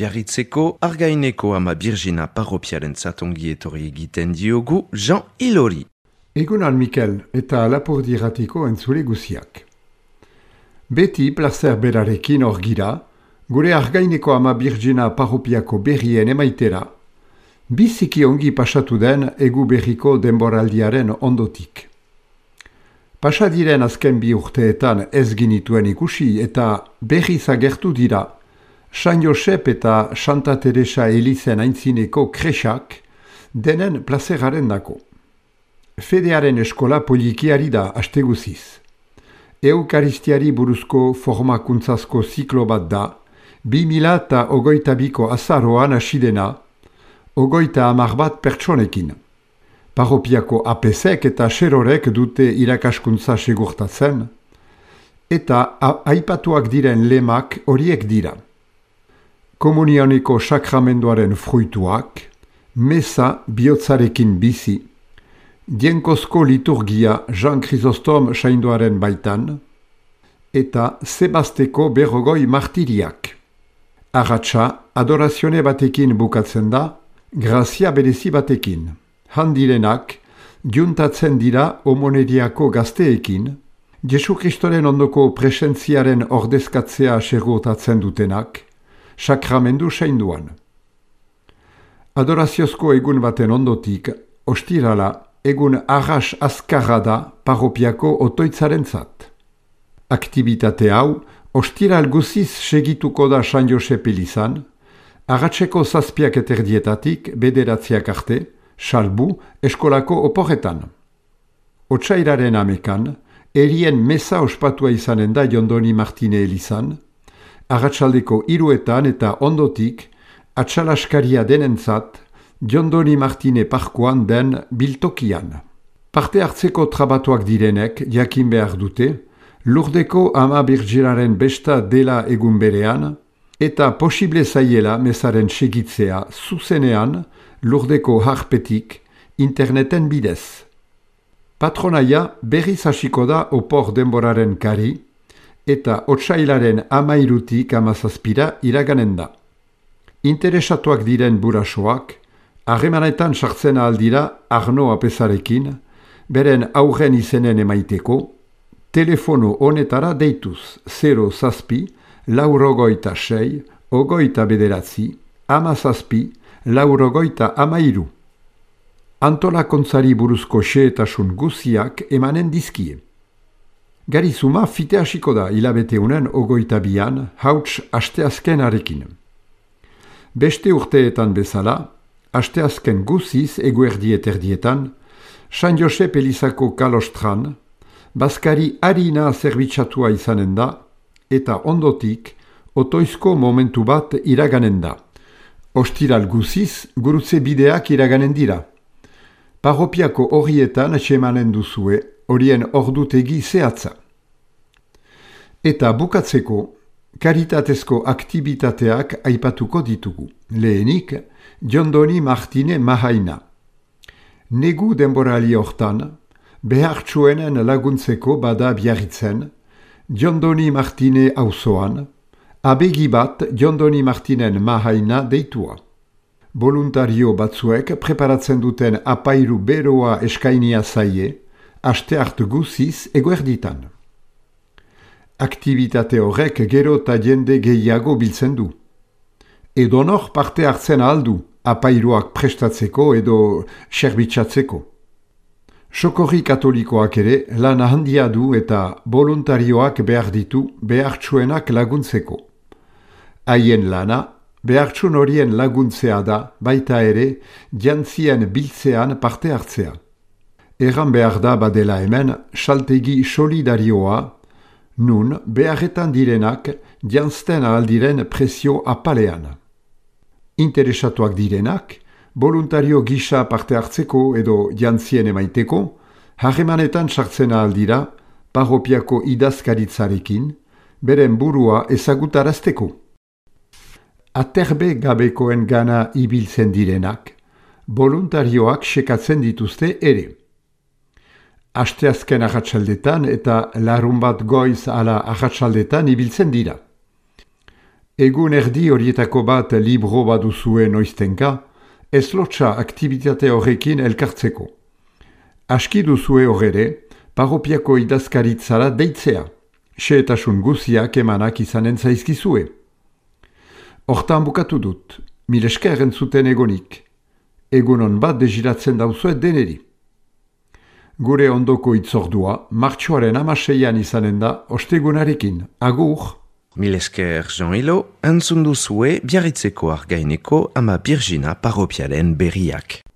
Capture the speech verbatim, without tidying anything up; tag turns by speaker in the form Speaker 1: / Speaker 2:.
Speaker 1: Biarritzeko Argaineko ama Birjina parropiaren zatongi etorri egiten diogu Jean Ilori.
Speaker 2: Egunan Mikel eta Lapurdi Irratiko entzule guziak. Beti plazer berarekin hor gira, gure Argaineko ama Birjina parropiako berrien emaitera, biziki ongi pasatu den egu berriko denboraldiaren ondotik. Pasadiren azken bi urteetan ez ginituen ikusi eta berriz agertu dira San Josep eta Santa Teresa Elizen aintzineko kresak denen plazeraren dako. Fedearen eskola polikiari da asteguziz. Eukaristiari buruzko formakuntzazko ziklo bat da, bi mila eta ogoita biko azaroan asidena, ogoita amar bat pertsonekin. Parropiako apesek eta xerorek dute irakaskuntza segurtatzen, eta aipatuak diren lemak horiek dira. Komunioniko sakramenduaren fruituak, mesa bihotzarekin bizi, dienkozko liturgia Jean Chrysostom sainduaren baitan, eta Sebasteko berrogoi martiriak. Arratsa adorazione batekin bukatzen da, grazia berezi batekin. Handirenak, juntatzen dira homoneriako gazteekin, Jesu Kristoren ondoko presentziaren ordezkatzea segurtatzen dutenak, sakramendu sainduan. Adoraziozko egun baten ondotik, ostirala, egun arras azkarra da parropiako otoitzarentzat. Aktibitate hau, ostiral guziz segituko da San Josep Elizan, arratseko zazpiak eterdietatik bederatziak arte, salbu eskolako oporretan. Otsairaren amekan, erien mesa ospatua izanen da Jondoni Martine Elizan, arratsaldeko hiruetan eta ondotik, atsalaskaria denentzat, Jondoni Martine parkoan den biltokian. Parte hartzeko trabatuak direnek jakin behar dute, Lurdeko ama Birjinaren besta dela egun berean, eta posible zaiela mesaren segitzea zuzenean Lurdeko harpetik interneten bidez. Patronaia berriz hasiko da opor denboraren kari, eta otsailaren amairutik amazazpira iraganen da. Interesatuak diren burasoak, harremanetan sartzen aldira Arno apesarekin, beren aurren izenen emaiteko, telefono honetara deituz zero zazpi, laurogoita sei, ogoita bederatzi, amazazpi, laurogoita amairu. Antolakontzari buruzko xehetasun guziak emanen dizkie. Garizuma fite hasiko da hilabeteunen ogoita bian, hauts asteazkenarekin. Beste urteetan bezala, asteazken guziz eguerdiet erdietan, San Josep Elizako kalostran, Baskari harina zerbitzatua izanen da, eta ondotik, otoizko momentu bat iraganen da. Ostiral guziz, gurutze bideak iraganen dira. Parropiako horietan semanen duzue, horien ordutegi zehatza. Eta bukatzeko, karitatezko aktibitateak aipatuko ditugu. Lehenik, Jondoni Martine Mahaina. Negu denborali hortan, behartsuenen laguntzeko bada Biarritzen, Jondoni Martine auzoan, abegi bat Jondoni Martinen Mahaina deitua. Voluntario batzuek preparatzen duten apairu beroa eskainia zaie, aste hart guziz eguerditan. Aktibitate horrek gero eta jende gehiago biltzen du. Edonor parte hartzen aldu apairuak prestatzeko edo serbitzatzeko. Sokorri katolikoak ere lan handia du eta voluntarioak behar ditu behartsuenak laguntzeko. Haien lana, behartsun horien laguntzea da baita ere jantzien biltzean parte hartzea. Erran behar da badela hemen saltegi solidarioa, nun beharretan direnak jantzten aldiren presio apalean. Interesatuak direnak, voluntario gisa parte hartzeko edo jantzien emaiteko, harremanetan sartzen aldira, parropiako idazkaritzarekin, beren burua ezagutarazteko. Aterbe gabekoen gana ibiltzen direnak, voluntarioak sekatzen dituzte ere. Asteazken arratsaldetan eta larun bat goiz ala arratsaldetan ibiltzen dira. Egun erdi horietako bat libro baduzue noiztenka, ez lotsa aktivitate horrekin elkartzeko. Aski duzue horre, paropiako idazkaritzara deitzea, xehetasun guziak emanak izanen zaizkizue. Hortan bukatu dut, mil esker entzuten egonik. Egunon bat deziratzen dauzuet deneri. Gure ondoko itzordua, martxoaren amaseian izanen da, ostegunarekin, agur!
Speaker 1: Mil esker Jean-Hilo, entzun duzue Biarritzeko Argaineko ama Birjina paropialen berriak.